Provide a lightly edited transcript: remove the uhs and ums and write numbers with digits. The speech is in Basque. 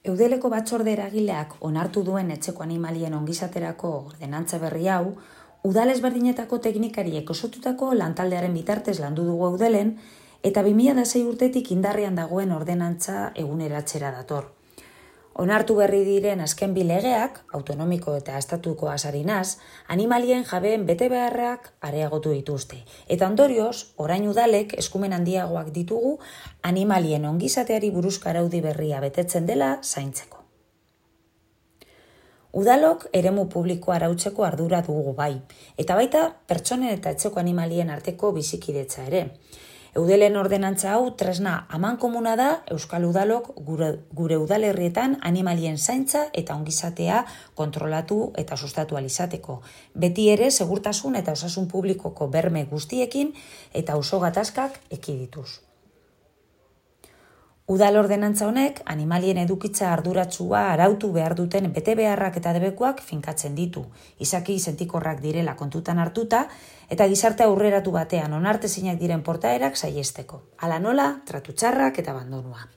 Eudeleko batzorde eragileak onartu duen etxeko animalien ongizaterako ordenantza berri hau, udal ezberdinetako teknikariek osotutako lantaldearen bitartez landu dugu Eudelen, eta 2006 urtetik indarrean dagoen ordenantza eguneratzera dator. Onartu berri diren azken bi legeak, autonomiko eta estatuko asarinaz, animalien jabeen betebeharrak areagotu dituzte. Eta ondorioz, orain udalek eskumen handiagoak ditugu animalien ongizateari buruzko araudi berria betetzen dela zaintzeko. Udalok eremu publikoa arautzeko ardura dugu bai, eta baita pertsonen eta etxeko animalien arteko bizikidetza ere. Eudelen ordenantza hau tresna amankomuna da Euskal Udalok gure udalerrietan animalien zaintza eta ongizatea kontrolatu eta sustatu ahal izateko. Beti ere segurtasun eta osasun publikoko berme guztiekin eta auzo gatazkak ekidituz. Udal ordenantza honek animalien edukitza arduratsua arautu behar duten betebeharrak eta debekuak finkatzen ditu, izaki sentikorrak direla kontutan hartuta eta gizarte aurreratu batean onartezinak diren portaerak saihesteko. Hala nola, tratu txarrak eta abandonua.